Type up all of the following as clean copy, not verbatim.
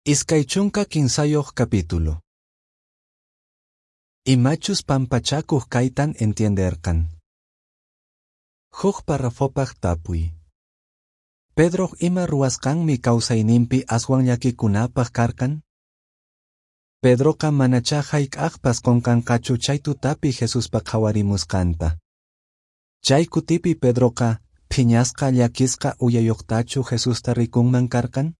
23 capítulo. Imachus pampachakuq kaytan entienderqan. Huk parrafopaq tapuy. Pedroq ima ruwasqanmi kawsayninpi aswan llakikunapaq karqan? Pedroqa manachá hayk'aqpas qunqanqachu chay tutapi Jesuspa qhawarimusqanta. Chay kutipi Pedroqa phiñasqa llakisqa uyayuqtachu Jesusta rikunman karqan?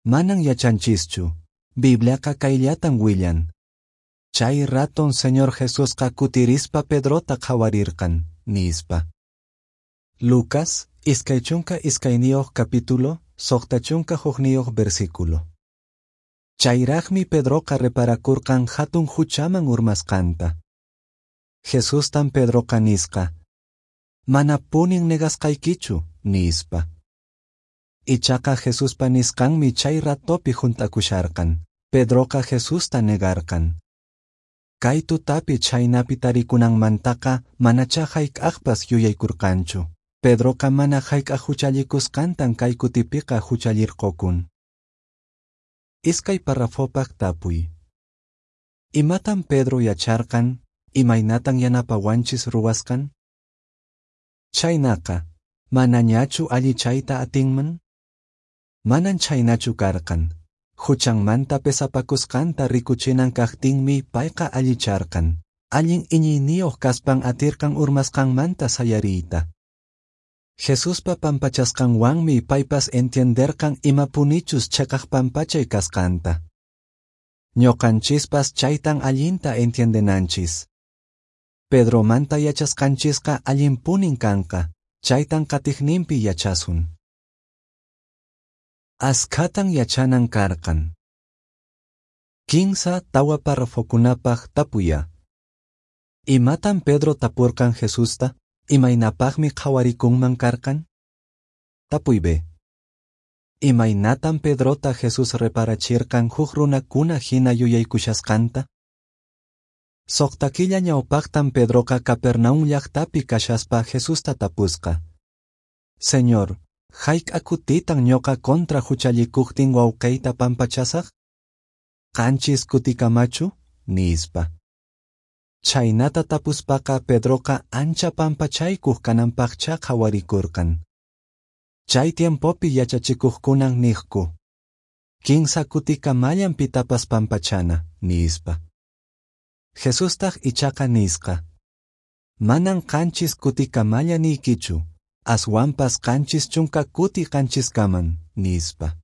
Manan yachanchischu. Bibliaqa kayllatan willan. Chay raton Señor Jesusqa kutirispa Pedrota qhawarirqan, nispa. Lucas, 22 capítulo, 61 versículo. Chayraqmi Pedroqa reparakurqan hatun huchaman urmasqanta. Jesustan Pedroqa nisqa, Manapunin negasqaykichu, nispa. Ichaqa Jesuspa nisqanmi chay ratopi hunt'akusharqan. Pedroqa Jesusta negarqan. Kay tutapi chhaynapi tarikunanmantaqa manachá hayk'aqpas yuyaykurqanchu. Pedroqa mana hayk'aq huchallikusqantan kay kutipiqa huchallirqukun. Iskay parrafopaq tapuy. Imatan Pedro yacharqan? Imaynatan yanapawanchis ruwasqan? Chhaynaqa, manañachu allichayta atinman? Manan chhaynachu karqan. Huchanmanta pesapakusqanta rikuchinan kaqtinmi payqa allicharqan. Allin iñiyniyuq kaspan atirqan urmasqanmanta sayariyta. Jesuspa pampachasqanwanmi paypas entienderqan imapunichus cheqaq pampachay kasqanta. Ñuqanchispas chaytan allinta entiendenanchis. Pedromanta yachasqanchisqa allinpunin kanqa, chaytan qatiqninpi yachasun. Askhatan yachanan karqan. 3-4 parrafokunapaq tapuya. Imatan Pedro tapurqan Jesusta? Imaynapaqmi qhawarikunman karqan? Tapuy B. Imaynatan Pedrota Jesús reparachirqan huk runakuna hina yuyaykushasqanta? Suqta killa ñawpaqtan Pedroqa Capernaum llaqtapi kashaspa Jesusta tapusqa. Señor, hayk'a kutitan ñuqa contra huchallikuqtin wawqiyta pampachasaq? 7 kutikamachu? Nispa. Chhaynata tapuspaqa Pedroqa ancha pampachaykuq kananpaqchá qhawarikurqan. Chay tiempopi yachachikuqkunan niqku, 3 kutikamallan pitapas pampachana, nispa. Jesustaq ichaqa nisqa, Manan 7 kutikamalla niykichu, aswanpas 70 kuti 7kaman, nispa.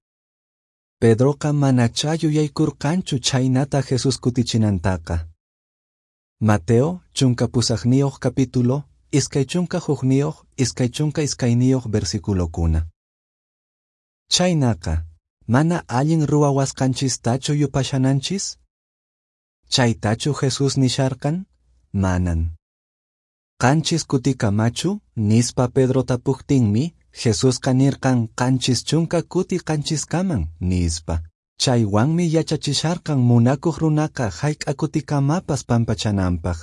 Pedroqa manachá yuyaykurqanchu chhaynata Jesús kutichinantaqa. Mateo, 18 capítulo, 21, 22 versículokuna. Chhaynaqa, mana allin ruwawasqanchistachu yupashananchis? Chaytachu Jesús nisharqan? Manan. 7 kutikamachu, nispa Pedro tapuqtinmi, Jesusqa nirqan 70 kuti 7kaman, nispa. Chaywanmi yachachisharqan munakuq runaqa hayk'a kutikamapas pampachananpaq.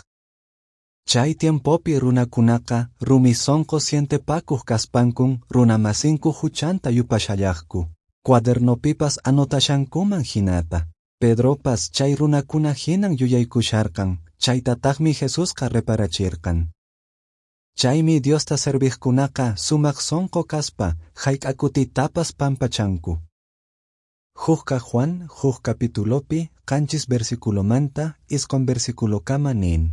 Chay tiempopi runakunaqa rumi sonqo sientepakuq kaspankun runamasinku huchanta yupashallaqku. Cuadernopipas anotashankuman hinata. Pedropas chay runakuna hinan yuyaykusharqan, chaytataqmi Jesusqa reparachirqan. Chaymi Diosta serviqkunaqa sumaq sonqo kaspa hayk'a kutitapas pampachanku. Hukka Juan, huk capitulopi, 7 versículomanta, 9 versículokama nin.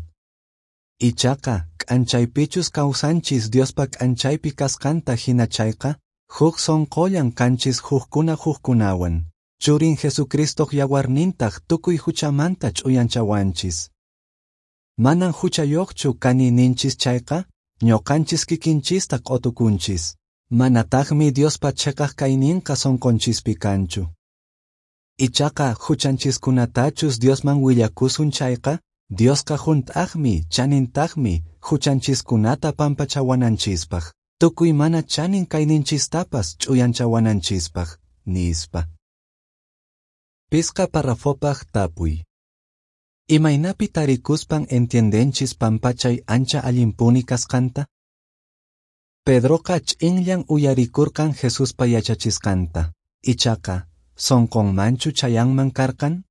Ichaqa, k'anchaypichus kawsanchis Diospa k'anchaypi kasqanta hina chayqa, huk sonqollan kanchis hukkuna hukkunawan. Churin Jesucristoq yawarnintaq tukuy huchamanta ch'uyanchawanchis. Manan huchayuqchu kani ninchis chayqa, ñuqanchis kikinchista q'utukunchis. Manataqmi Diospa cheqaq kayninqa sonqonchispi kanchu. Ichaqa huchanchiskunatachus Diosman willakusun chayqa, Diosqa hunt'aqmi, chanintaqmi, huchanchiskunata pampachawananchispaq, tukuy mana chanin kayninchistapas ch'uyanchawananchispaq, nispa. 5 parrafopaq tapuy. Imaynapi tarikuspan entiendenchis pampachay ancha allinpuni kasqanta? Pedroqa ch'inllan uyarikurqan Jesuspa yachachisqanta. Ichaqa, sonqonmanchu chayanman karqan?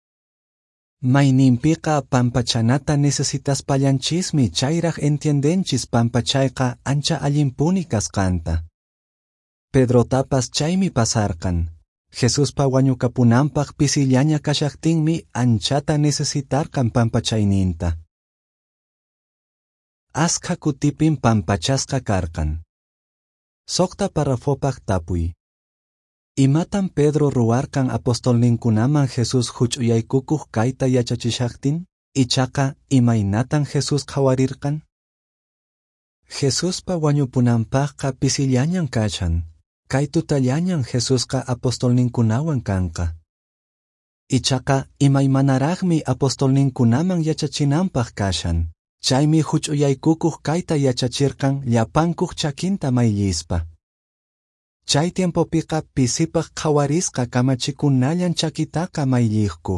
Mayninpiqa pampachanata necesitaspallanchismi chayraq entiendenchis pampachayqa ancha allinpuni kasqanta. Pedrotapas chaymi pasarqan. Jesuspa wañukapunanpaq pisillaña kashaqtinmi anchata necesitarqan pampachayninta. Askha kutipin pampachasqa karqan. 6 parrafopaq tapuy. Imatan Pedro ruwarqan apostolninkunaman Jesús huch'uyaykukuq kayta yachachishaqtin? Ichaqa imaynatan Jesús qhawarirqan? Jesuspa wañupunanpaqqa pisillañan kashan. Kay tutallañan Jesusqa apostolninkunawan kanqa. Ichaqa imaymanaraqmi apostolninkunaman yachachinanpaq kashan. Chaymi huch'uyaykukuq kayta yachachirqan llapankuq chakinta mayllispa. Chay tiempopiqa pisipaq qhawarisqa kamachikunallan chakitaqa maylliqku.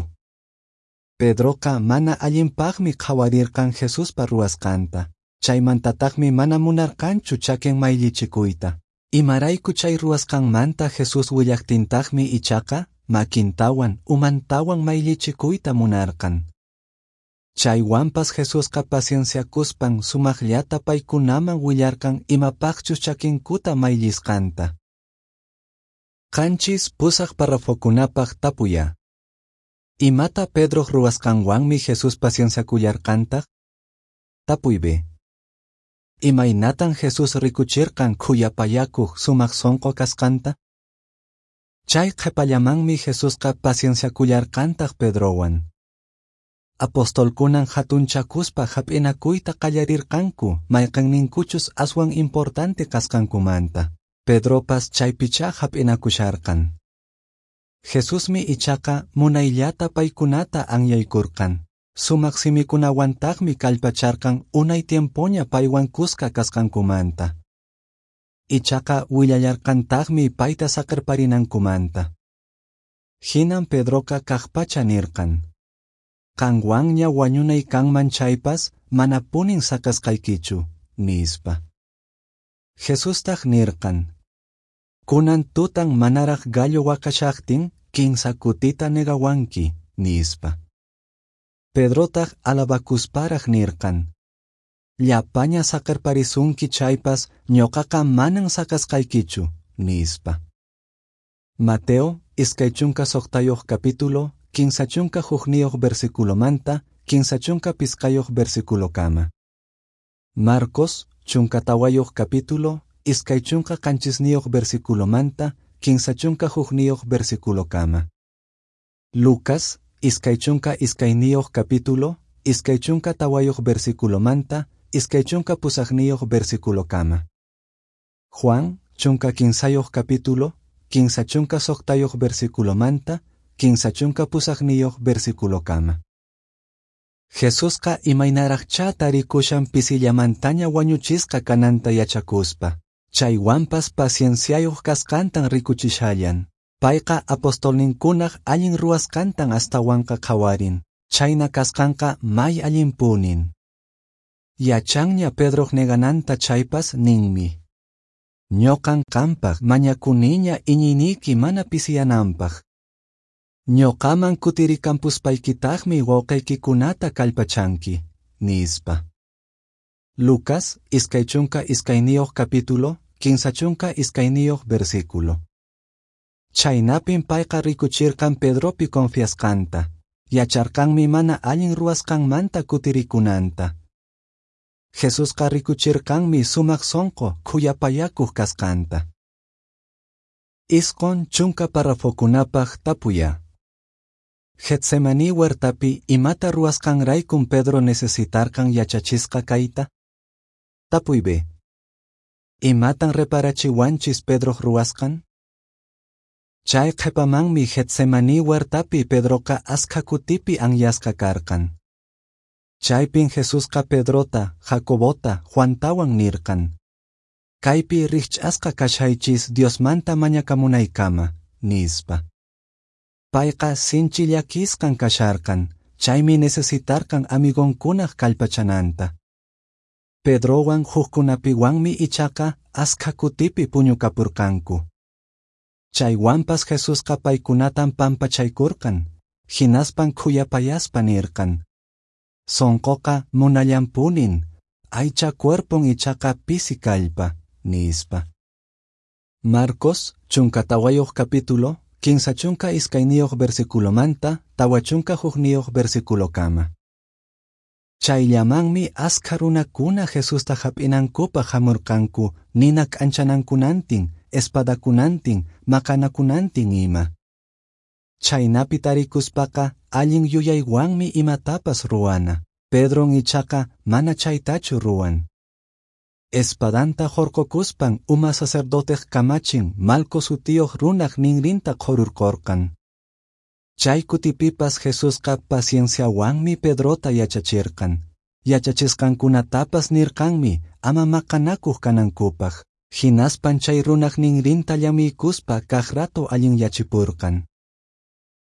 Pedroqa mana allinpaqmi qhawarirqan Jesuspa ruwasqanta. Chaymantataqmi mana munarqanchu chakin mayllichikuyta. Imarayku chay ruwasqanmanta Jesús willaqtintaqmi ichaqa makintawan umantawan mayllichikuyta munarqan. Chaywanpas Jesusqa pacienciakuspan sumaqllata paykunaman willarqan imapaqchus chakinkuta mayllisqanta. 7 8 parrafokunapaq tapuya. Imata Pedroq ruwasqanwanmi Jesús pacienciakullarqantaq? Tapuy B. Imaynatan Jesús rikuchirqan khuyapayakuq sumaq sonqo kasqanta? Chay qhepallamanmi Jesusqa pacienciakullarqantaq Pedrowan. Apostolkunan hatunchakuspa hap'inakuyta qallarirqanku mayqanninkuchus aswan importante kasqankumanta. Pedropas chaypichá hap'inakusharqan. Jesusmi ichaqa munayllata paykunata anyaykurqan. Sumaq simikunawantaqmi kallpacharqan unay tiempoña paywan kuska kasqankumanta. Ichaqa willallarqantaqmi payta saqerparinankumanta. Hinan Pedroqa kaqpacha nirqan: Qanwanña wañunay kanman chaypas manapunin saqesqaykichu, nispa. Jesustaq nirqan: Kunan tutan manaraq gallo waqashaqtin kinsa kutita negawanki, nispa. Pedrotaq alabakusparaq nirqan: Llapaña saqerparisunki chaypas ñuqaqa manan saqesqaykichu, nispa. Mateo, 26 capítulo, 31 versículomanta, 35 versículokama. Marcos, 14 capítulo, 27 versículomanta, 31 versículokama. Lucas, 22 capítulo, 24 versículomanta, 28 versículokama. Juan, 15 capítulo, 36 versículomanta, 38 versículokama. Jesusqa imaynaraqchá tarikushan pisillamantaña wañuchisqa kananta yachakuspa. Chaywanpas pacienciayuq kasqantan rikuchishallan. Payqa apostolninkunaq allin ruwasqantan astawanqa qhawarin. Chayna kasqanqa may allinpunin. Yachanña Pedroq negananta chaypas ninmi: Ñuqan qampaq mañakuniña iñiyniyki mana pisiyananpaq. Ñuqaman kutirikampuspaykiktaqmi wawqiykikunata kallpachanki, nispa. Lucas, 22 capítulo, 32 versículo. Chaynapin payqa rikuchirqan Pedropi confiasqanta. Yacharqanmi mana allin ruwasqanmanta kutirikunanta. Jesusqa rikuchirqanmi sumaq sonqo khuyapayakuq kasqanta. 90 parrafokunapaq tapuya. Getsemaní huertapi imata ruwasqanraykun Pedro necesitarqan yachachisqa kayta? Tapuy B. Imatan reparachiwanchis Pedroq ruwasqan? Chay qhepamanmi Getsemaní huertapi Pedroqa askha kutipi anyasqa karqan. Chaypin Jesusqa Pedrota, Jacobota, Juantawan nirqan: Kaypi rikch'asqa kashaychis Diosmanta mañakamunaykama, nispa. Payqa sinchi llakisqan kasharqan, chaymi necesitarqan amigonkunaq kallpachananta. Pedrowan hukkunapiwanmi ichaqa askha kutipi puñukapurqanku. Chaywanpas Jesusqa paykunatan pampachaykurqan, hinaspan khuyapayaspa nirqan: Sonqoqa munallanpunin, aycha cuerpon ichaqa pisi kallpa, nispa. Marcos, 14 capítulo, 32 versiculomanta, 41 versiculokama. Chayllamanmi askha runakuna Jesusta hap'inankupaq hamurqanku nina k'anchanankunantin, espadakunantin, maqanakunantin ima. Chhaynapi tarikuspaqa allin yuyaywanmi imatapas ruwana. Pedron ichaqa mana chaytachu ruwan. Espadanta hurqukuspan uma sacerdoteq kamachin Malco sutiyuq runaq ninrinta qhururqurqan. Chay kutipipas Jesusqa pacienciawanmi Pedrota yachachirqan. Yachachisqankunatapas nirqanmi ama maqanakuq kanankupaq. Hinaspan chay runaq ninrinta llamiykuspa kaq rato allinyachipurqan.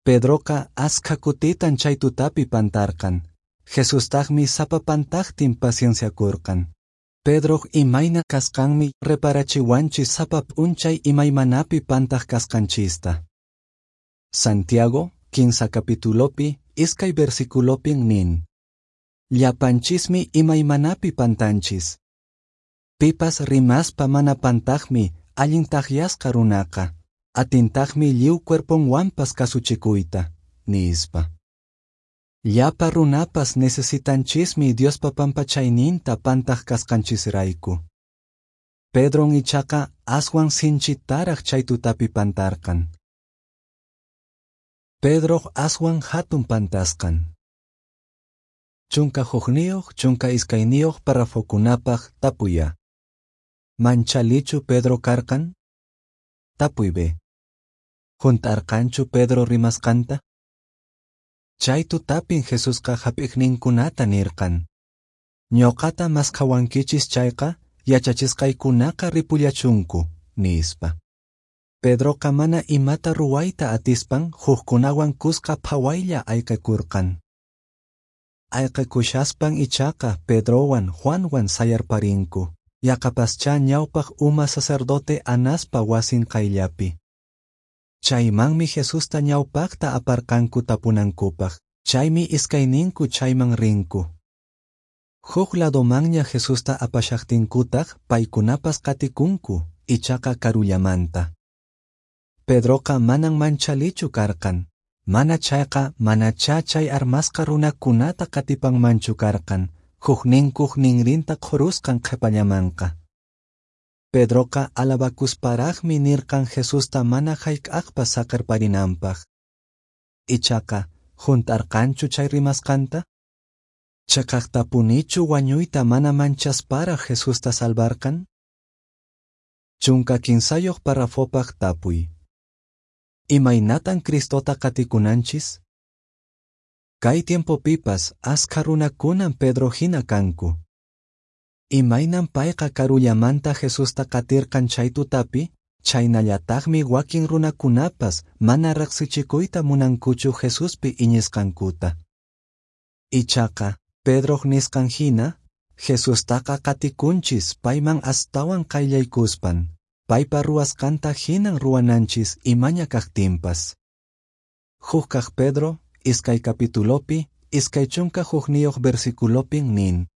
Pedroqa askha kutitan chay tutapi pantarqan. Jesustaqmi sapa pantaqtin pacienciakurqan. Pedroq imayna kasqanmi reparachiwanchis sapa p'unchay imaymanapi pantaq kasqanchista. Santiago, 15 capitulopi, 2 versiculopin nin: Llapanchismi imaymanapi pantanchis. Pipas rimaspa mana pantaqmi allin taqyasqa runaqa, atintaqmi lliw cuerponwanpas kasuchikuyta, nispa. Llapa runapas necesitanchismi Diospa pampachayninta pantaq kasqanchisrayku. Pedron ichaqa aswan sinchitaraq chay tutapi pantarqan. Pedroq aswan hatun pantasqan. 11, 12 párrafokunapaq tapuy A. Manchalichu Pedro karqan? Tapuy B. Hunt'arqanchu Pedro rimasqanta? Chay tutapin Jesusqa hap'iqninkunata nirqan: Ñuqata maskhawankichis chayqa yachachisqaykunaqa ripullachunku, nispa. Pedroqa mana imata ruwayta atispan hukkunawan kuska phawaylla ayqakurqan. Ayqakushaspan ichaqa Pedrowan Juanwan sayarparinku, yaqapaschá ñawpaq uma sacerdote Anaspa wasin qayllapi. Chaymanmi Jesusta ñawpaqta aparqanku tapunankupaq, chaymi iskayninku chayman rinku. Huk ladomanña Jesusta apashaqtinkutaq paykunapas qatikunku, ichaqa karullamanta. Pedroqa manan manchalichu karqan, mana chayqa manachá chay armasqa runakunata qatipanmanchu karqan, hukninkuq ninrinta qhurusqan qhipallamanqa. Pedroqa alabakusparaqmi nirqan Jesusta mana hayk'aqpas saqerparinanpaq. Ichaqa, hunt'arqanchu chay rimasqanta? Cheqaqtapunichu wañuyta mana manchasparaq Jesusta salvarqan? 13 párrafopaq tapuy. Imaynatan Cristota qatikunanchis? Kay tiempopipas askha runakunan Pedro hina kanku. Imaynan payqa karullamanta Jesusta qatirqan chay tutapi, chaynallataqmi wakin runakunapas mana riqsichikuyta munankuchu Jesuspi iñisqankuta. Ichaqa, Pedroq nisqan hina, Jesustaqa qatikunchis payman astawan qayllaykuspan, paypa ruwasqanta hinan ruwananchis imaña kaqtinpas. Huk kaq Pedro, 2 capitulopi, 21 versiculopin nin: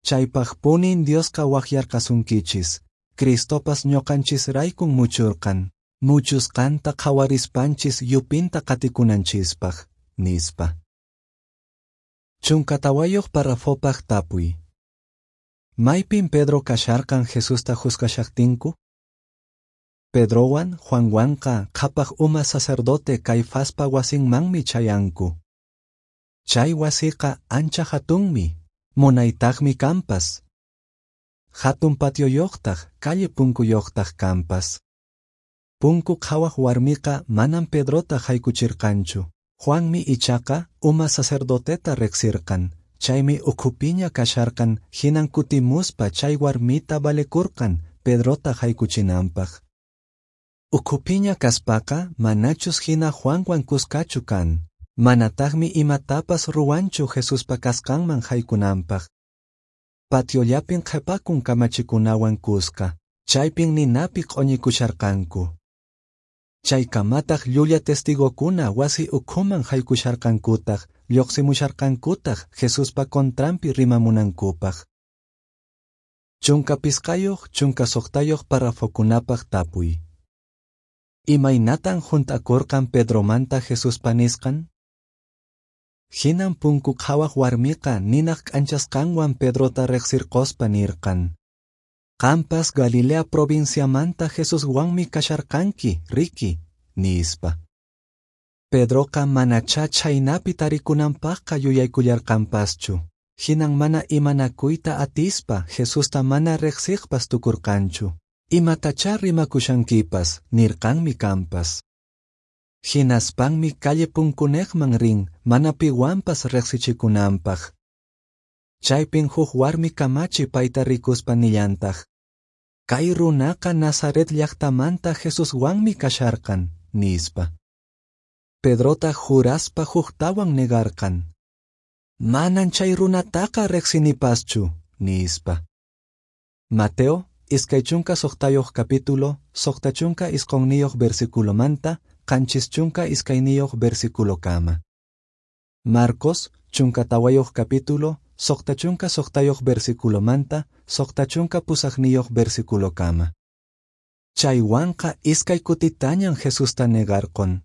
Chaypaqpunin Diosqa waqyarqasunkichis, Cristopas ñuqanchisraykun muchurqan, muchusqanta qhawarispanchis yupinta qatikunanchispaq, nispa. 14 párrafopaq tapuy. Maypin Pedro kasharqan Jesusta juzgashaqtinku? Pedrowan Juanwanqa qhapaq uma sacerdote Caifaspa wasinmanmi chayanku. Chay wasiqa ancha hatunmi, munaytaqmi kanpas. Hatun patioyoqtaq, calle punkuyoqtaq kanpas. Punku qhawaq warmiqa manam Pedrota haykuchirqanchu. Juanmi ichaqa uma sacerdoteta riqsirqan, chaymi ukhupiña kasharqan hinan kutimuspa chay warmita valekurqan Pedrota haykuchinanpaq. Ukhupiña kaspaqa manachus hina Juanwan kuskachu kan, manataqmi imatapas ruwanchu Jesuspa kasqanman haykunanpaq. Patiollapin qhipakun kamachikunawan kuska, chaypin ninapi q'uñikusharqanku. Chaykamataq llulla testigokuna wasi ukhuman haykusharqankutaq lloqsimusharqankutaq Jesuspa contranpi rimamunankupaq. 15 16 parrafokunapaq tapuy. Imaynatan hunt'akurqan Pedromanta Jesuspa nisqan? Hinan punku qhawaq warmiqa ninaq k'anchasqanwan Pedrota riqsirqospa nirqan: Qampas Galilea provinciamanta Jesuswanmi kasharqanki, riki, nispa. Pedroqa manachá chhaynapi tarikunanpaqqa yuyaykullarqanpaschu. Hinan mana imanakuyta atispa Jesusta mana riqsiqpas tukurqanchu. Imatachá rimakushankipas, nirqanmi kanpas. Hinaspanmi calle punkuneqman rin mana piwanpas riqsichikunanpaq. Chaypin huk warmi kamachi payta rikuspa nillantaq: Kay runaqa Nazaret llaqtamanta Jesuswanmi kasharqan, nispa. Pedrotaq juraspa huktawan negarqan: Manan chay runataqa riqsinipaschu, nispa. Mateo, 26 capítulo, 69 versículomanta, 72 versículokama. Marcos, 14 capítulo, 66 versículomanta, 68 versículokama. Chaywanqa iskay kutitañan Jesusta negarqon.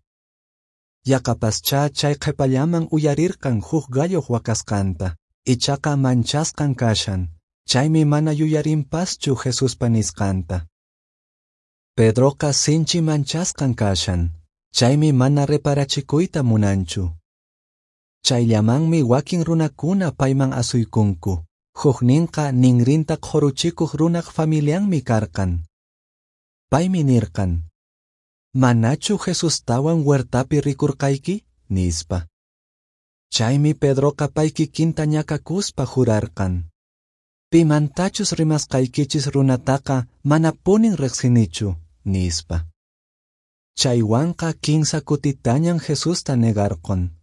Yaqapaschá chay qhipallaman uyarirqan huk galloq waqasqanta, ichaqa manchasqan kashan, chaymi mana yuyarinpaschu Jesuspa nisqanta. Pedroqa sinchi manchasqan kashan, chaymi mana reparachikuyta munanchu. Chayllamanmi wakin runakuna payman asuykunku, hukninqa ninrinta qhuruchikuq runaq familianmi karqan. Paymi nirqan: Manachu Jesustawan huertapi rikurqayki, nispa. Chaymi Pedroqa pay kikinta ñakakuspa jurarqan: Pimantachus rimasqaykichis runataqa manapunin riqsinichu, nispa. Chaywanqa kinsa kutitañan Jesusta negarqon.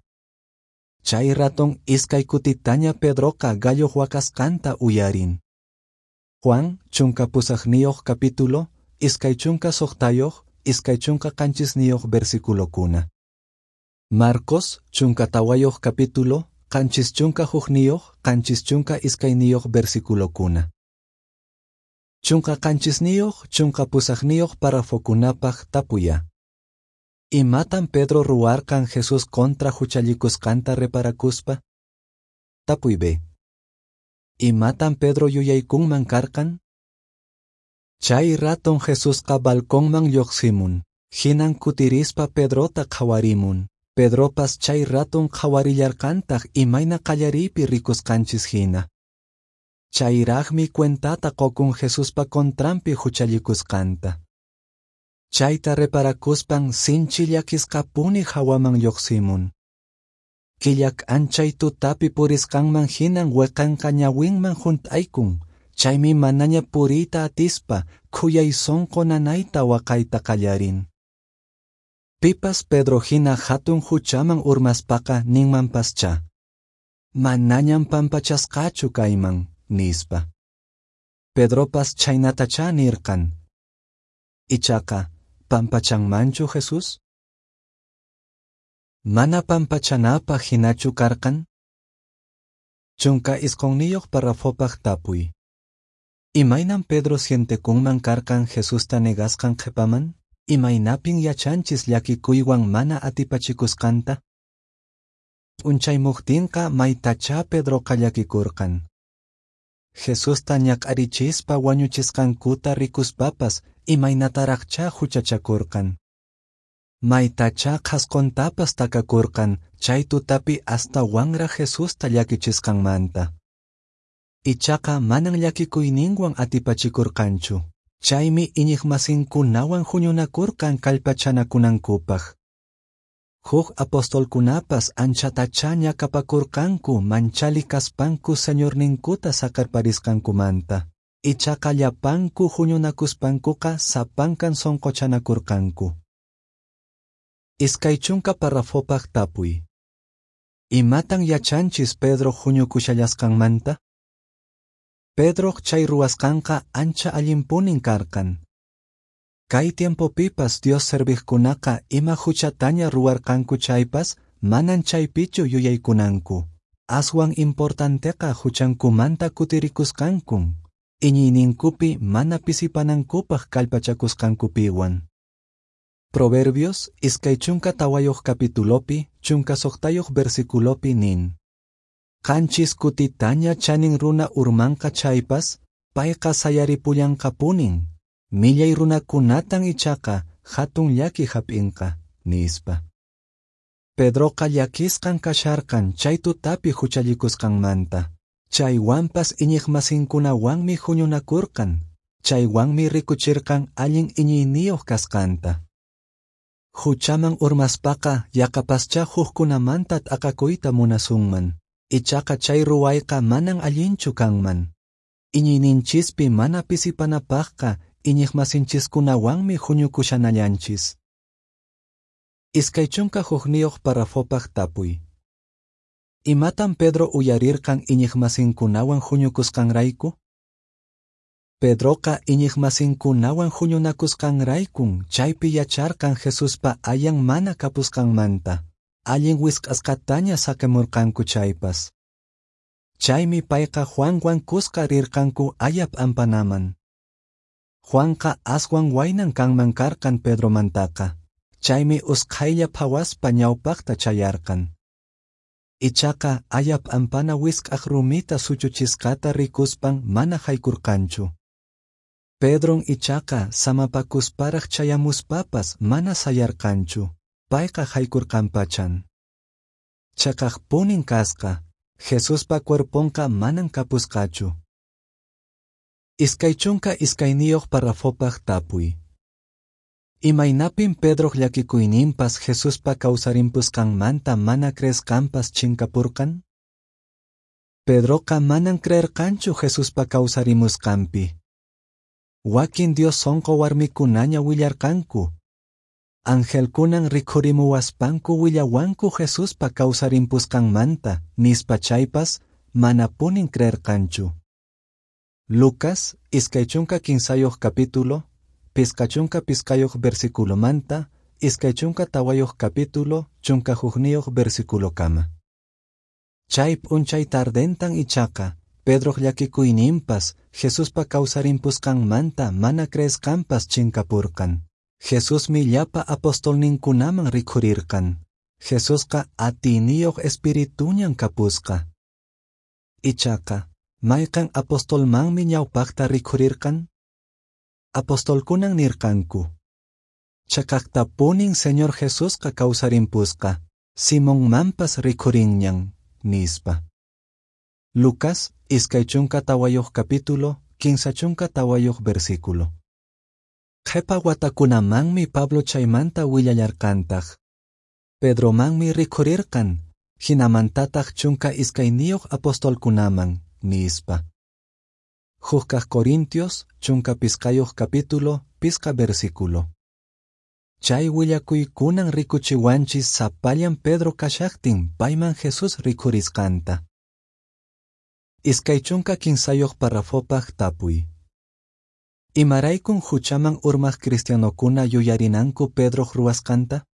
Chay raton iskay kutitaña Pedroqa galloq waqasqanta uyarin. Juan, 18 capítulo, 26, 27 versículokuna. Marcos, 14 capítulo, 71, 72 versículokuna. 17, 18 párrafokunapaq tapuya. Imatan Pedro ruwarqan Jesús contra huchallikusqanta reparakuspa? Tapuy B. Imatan Pedro yuyaykunman karqan? Chay raton Jesusqa balconman lluqsimun, hinan kutirispa Pedrota qhawarimun. Pedropas chay raton qhawarillarqantaq imayna qallariypi rikusqanchis hina. Chayraqmi cuentata qukun Jesuspa contranpi huchallikusqanta. Chayta reparakuspan sinchi llakisqapuni hawaman lluqsimun. Killa k'anchay tutapi purisqanman hinan weqanqa ñawinman hunt'aykun, chaymi manaña puriyta atispa khuyay sunqu nanayta waqayta qallarin. Pipas Pedro hina hatun huchaman urmaspaqa ninmanpaschá: Manañam pampachasqachu kayman, nispa. Pedropas chhaynatachá nirqan. Ichaqa, pampachanmanchu Jesús? Mana pampachanapaq hinachu karqan? 19 parrafopaq tapuy. Imaynan Pedro sientekunman karqan Jesusta negasqan qhipaman? Imaynapin yachanchis llakikuywan mana atipachikusqanta? P'unchaymuqtinqa maytachá Pedroqa llakikurqan. Jesusta ñak'arichispa wañuchisqankuta rikuspapas imaynataraqchá huchachakurqan. Maytachá qhasquntapas takakurqan chay tutapi astawanraq Jesusta llakichisqanmanta. Ichaqa manan llakikuyninwan atipachikurqanchu, chaymi iñiqmasinkunawan huñunakurqan kallpachanakunankupaq. Huk apostolkunapas anchatachá ñakapakurqanku manchali kaspanku señorninkuta saqerparisqankumanta. Ichaqa llapanku huñunakuspankuqa sapankan sunquchanakurqanku. 20 parrafopaq tapuy. Imatan yachanchis Pedro huñukushallasqanmanta? Pedroq chay ruwasqanqa ancha allinpunin karqan. Kay tiempopipas Dios serviqkunaqa ima huchataña ruwarqanku chaypas manan chaypichu yuyaykunanku. Aswan importanteqa huchankumanta kutirikusqankun, iñiyninkupi mana pisipanankupaq kallpachakusqankupiwan. Proverbios 24 capitulopi, 16 versiculopi nin. Qanchis kutitaña chanin runa urmanqa chaypas, payqa sayaripullanqapunin. Millay runakunatan ichaqa hatun llaki hap'inqa, nispa. Pedroqa llakisqan kasharqan chay tutapi huchallikusqanmanta. Chaywanpas iñiqmasinkunawanmi huñunakurqan, chaywanmi rikuchirqan allin iñiyniyuq kasqanta. Huchaman urmaspaqa yaqapaschá hukkunamanta t'aqakuyta munasunman. Ichaqa chay ruwayqa manan allinchu kanman. Iñiyninchispi mana pisipanapaqqa iñiqmasinchiskunawanmi huñukushanallanchis. 21 parrafopaq tapuy. Imatan Pedro uyarirqan iñiqmasinkunawan huñukusqanrayku? Pedroqa iñiqmasinkunawan huñunakusqanraykun chaypi yacharqan Jesuspa ayan mana kapusqanmanta, allin wisq'asqataña saqimurqanku chaypas. Chaymi payqa Juanwan kuska rirqanku aya p'ampanaman. Juanqa aswan waynan kanman karqan Pedromantaqa, chaymi usqhaylla phawaspa ñawpaqta chayarqan. Ichaqa aya p'ampana wisq'aq rumita suchuchisqata rikuspan mana haykurqanchu. Pedron ichaqa samapakusparaq chayamuspapas mana sayarqanchu, payqa haykurqanpachan. Chaqaqpunin kasqa, Jesuspa cuerponqa manan kapusqachu. 22 parrafopaq tapuy. Imaynapin Pedroq llakikuyninpas Jesuspa kawsarimpusqanmanta mana creesqanpas chinkapurqan? Pedroqa manan creerqanchu Jesuspa kawsarimusqanpi. Wakin Dios sonqo warmikunaña willarqanku. Angelkunan rikhurimuwaspanku willawanku Jesuspa kawsarimpusqanmanta, nispa chaypas manapunin creerqanchu. Lucas, 23 capítulo, 55 versículomanta, 24 capítulo, 11 versículokama. Chay p'unchay tardentan ichaqa, Pedroq llakikuyninpas Jesuspa kawsarimpusqanmanta mana creesqanpas chinkapurqan. Jesusmi llapa apostolninkunaman rikhurirqan. Jesusqa atiyniyuq espirituñan kapusqa. Ichaqa, mayqan apostolmanmi ñawpaqta rikhurirqan? Apostolkunan nirqanku. Chaqaqtapunin Señor Jesusqa kawsarimpusqa, Simonmanpas rikhurinñan, nispa. Lucas, 24 capítulo, 34 versículo. Qhipa watakunamanmi Pablo chaymanta willallarqantaq. Pedromanmi rikhurirqan, hinamantataq 12 apostolkunaman, nispa. 1 Corintios, 15 capítulo, 5 versículo. Chay willakuykunan rikuchiwanchis sapallan Pedro kashaqtin payman Jesús rikhurisqanta. 23 parrafopaq tapuy. Imaraykun huchaman urmaq cristianokuna yuyarinanku Pedroq ruwasqanta?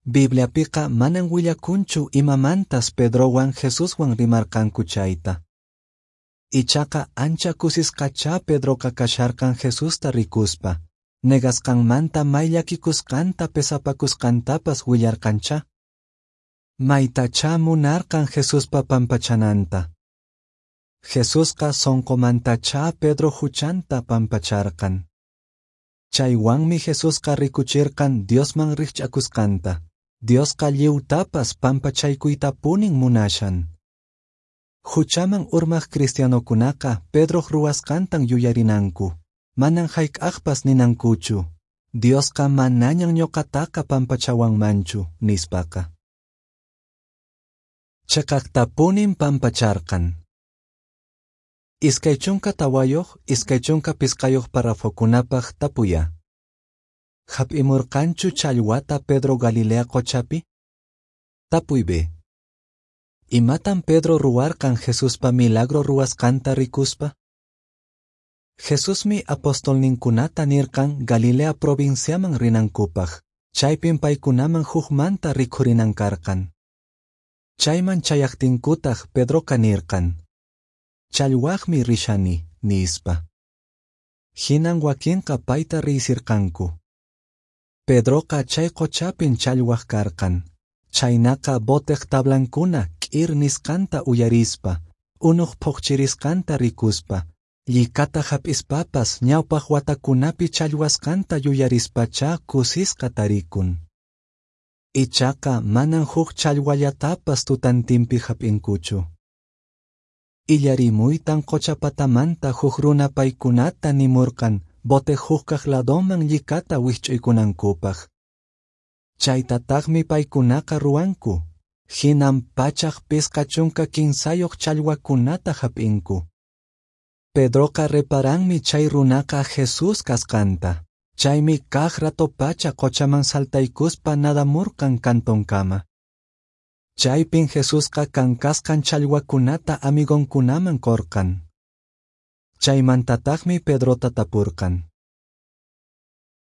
Bibliapiqa manan willakunchu imamantas Pedrowan Jesuswan rimarqanku chayta. Ichaqa ancha kusisqachá Pedroqa kasharqan Jesusta rikuspa, negasqanmanta may llakikusqanta pesapakusqantapas willarqanchá. Maytachá munarqan Jesuspa pampachananta. Jesusqa sonqomantachá Pedro huchanta pampacharqan. Chaywanmi Jesusqa rikuchirqan Diosman rikch'akusqanta. Diosqa lliwtapas pampachaykuytapunin munashan. Huchaman urmaq cristianokunaqa Pedroq ruwasqantan yuyarinanku. Manan hayk'aqpas ninankuchu. Diosqa manañan ñuqataqa pampachawanmanchu, nispaqa. Chaqaqtapunin pampacharqan. 24, 25 parrafokunapaq tapuya. Hap'imurqanchu challwata Pedro Galilea qochapi? Tapuy B. Imatan Pedro ruwarqan Jesuspa milagro ruwasqanta rikuspa? Jesusmi apostolninkunata nirqan Galilea provinciaman rinankupaq, chaypin paykunaman hukmanta rikhurinan karqan. Chayman chayaqtinkutaq Pedroqa nirqan, Challwaqmi rishani, nispa. Hinan wakinqa payta riysirqanku. Pedroqa chay qochapin challwaq karqan, chhaynaqa boteq tablankuna k'ir nisqanta uyarispa, unuq phoqchirisqanta rikuspa, llikata hap'ispapas ñawpaq watakunapi challwasqanta yuyarispachá kusisqa tarikun. Ichaqa manan huk challwallatapas tutantinpi hap'inkuchu. Illarimuytan qocha patamanta huk runa paykunata nimurqan boteq hukkaq ladoman llikata wikch'uykunankupaq. Chaytataqmi paykunaqa ruwanku, hinan 153 challwakunata hap'inku. Pedroqa reparanmi chay runaqa Jesús kasqanta, chaymi kaq ratopacha qochaman saltaykuspa nadamurqan cantonkama. Chaypin Jesusqa kankasqan challwakunata amigonkunaman qorqan. Chaymantataqmi Pedrota tapurqan.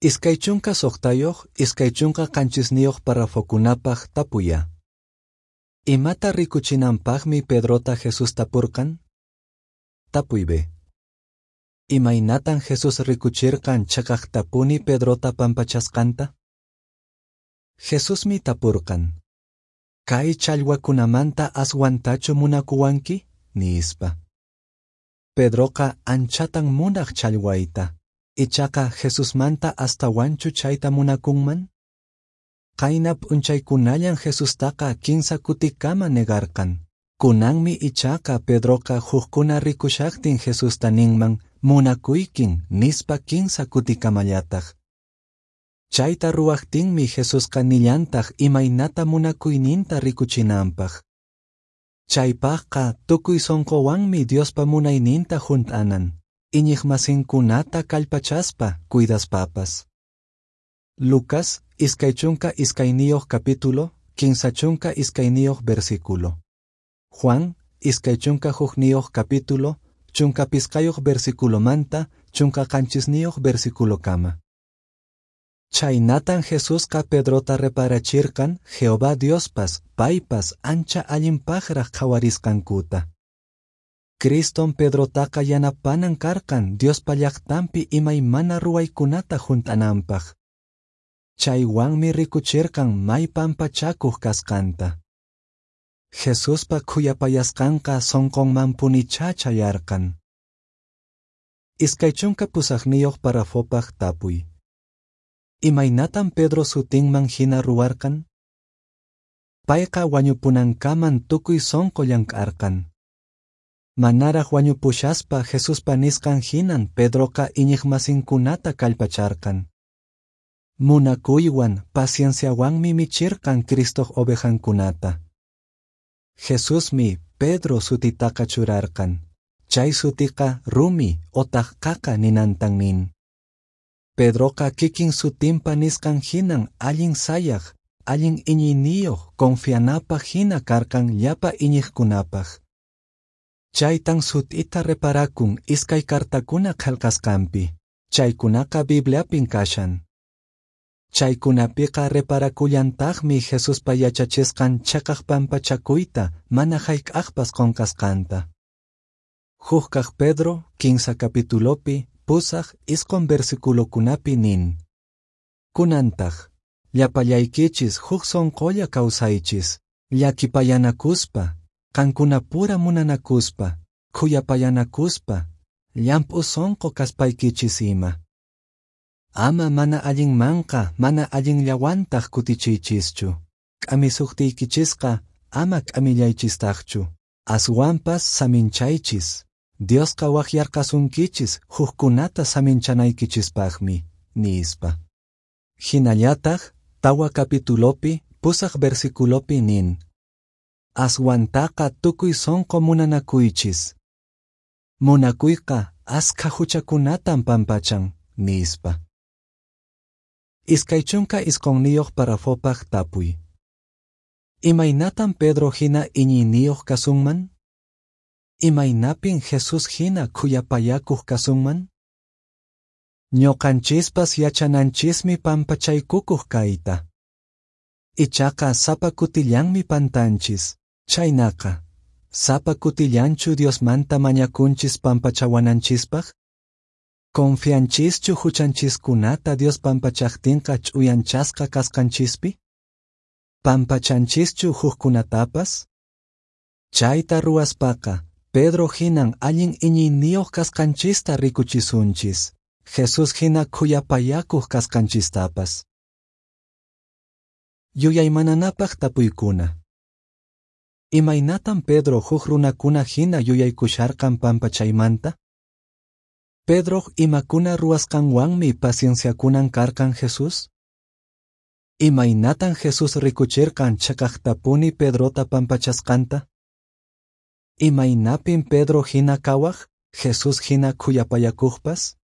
26 27 parrafokunapaq tapuya. Imata rikuchinanpaqmi Pedrota Jesús tapurqan? Tapuy B. Imaynatan Jesús rikuchirqan cheqaqtapuni Pedrota pampachasqanta? Jesusmi tapurqan, Kay challwakunamanta aswantachu munakuwanki? Nispa. Pedroqa anchatan munaq challwayta, ichaqa Jesusmanta astawanchu chayta munakunman? Qayna p'unchaykunallan Jesustaqa kinsa kutikama negarqan. Kunanmi ichaqa Pedroqa hukkuna rikushaqtin Jesusta ninman munakuykin nispa kinsa kutikamallataq. Chayta ruwaqtinmi Jesusqa nillantaq imaynata munakuyninta rikuchinanpaq. Chaypaqqa tukuy sonqowanmi Diospa munayninta hunt'anan, iñiqmasinkunata kallpachaspa cuidaspapas. Lucas 22 capítulo, 32 versículo. Juan 21 capítulo, 15 versículomanta 17 versículokama. Chhaynatan Jesusqa Pedrota reparachirqan Jehová Diospas paypas ancha allinpaqraq qhawarisqankuta. Criston Pedrotaqa yanapanan karqan Diospa llaqtanpi imaymana ruwaykunata hunt'ananpaq. Chaywanmi rikuchirqan may pampachakuq kasqanta. Jesuspa khuyapayasqanqa sonqonmanpunichá chayarqan. 28 parrafopaq tapuy. Imaynatan Pedro sutinman hina ruwarqan? Payqa wañupunankaman tukuy sonqo llank'arqan. Manaraq wañupushaspa Jesuspa nisqan hinan Pedroqa iñiqmasinkunata kallpacharqan. Munakuywan pacienciawanmi michirqan Cristoq ovejankunata. Jesusmi Pedro sutitaqa churarqan. Chay sutiqa rumi otaq qaqa ninantan nin. Pedroqa kikin sutinpa nisqan hinan allin sayaq, allin iñiyniyuq, confianapaq hina karqan llapa iñiqkunapaq. Chaytan sut'ita reparakun iskay cartakuna qelqasqanpi, chaykunaqa Bibliapin kashan. Chaykunapiqa reparakullantaqmi Jesuspa yachachisqan cheqaq pampachakuyta mana hayk'aqpas qonqasqanta. Hukkaq Pedro 15 capitulopi 8 9 versiculokunapi nin. Kunantaq, llapallaykichis huk sonqolla kawsaychis, llakipayanakuspa, qankunapura munanakuspa, khuyapayanakuspa, llamp'u sonqo kaspaykichis ima. Ama mana allinmanqa mana allinllawantaq kutichiychischu, k'amisuqtiykichisqa ama k'amillaychistaqchu, aswanpas saminchaychis. Diosqa waqyarqasunkichis hukkunata saminchanaykichispaqmi, nispa. Hinallataq 4 capitulopi 8 versiculopi nin. Aswantaqa tukuy sonqo munanakuychis. Munakuyqa askha huchakunatan pampachan, nispa. 29 parrafopaq tapuy. Imaynatan Pedro hina iñiyniyuq kasunman? Imaynapin Jesús hina khuyapayakuq kasunman? Ñoqanchispas yachananchismi pampachaykukuq kayta. Ichaqa sapa kutillanmi pantanchis. Chhaynaqa, sapa kutillanchu Diosmanta mañakunchis pampachawananchispaq? Confianchischu huchanchiskunata Dios pampachaqtinqa ch'uyanchasqa kasqanchispi? Pampachanchischu hukkunatapas? Chayta ruwaspaqa, Pedro hinan allin iñiyniyoq kasqanchista rikuchisunchis, Jesús hina khuyapayakuq kasqanchistapas. Yuyaymananapaq tapuykuna. Imaynatan Pedro huk runakuna hina yuyaykusharqan pampachaymanta? Pedroq imakuna ruwasqanwanmi pacienciakunan karqan Jesús? Imaynatan Jesús rikuchirqan cheqaqtapuni Pedrota pampachasqanta? Imaynapin Pedro hina kawaq, Jesús hina khuyapayakuqpas?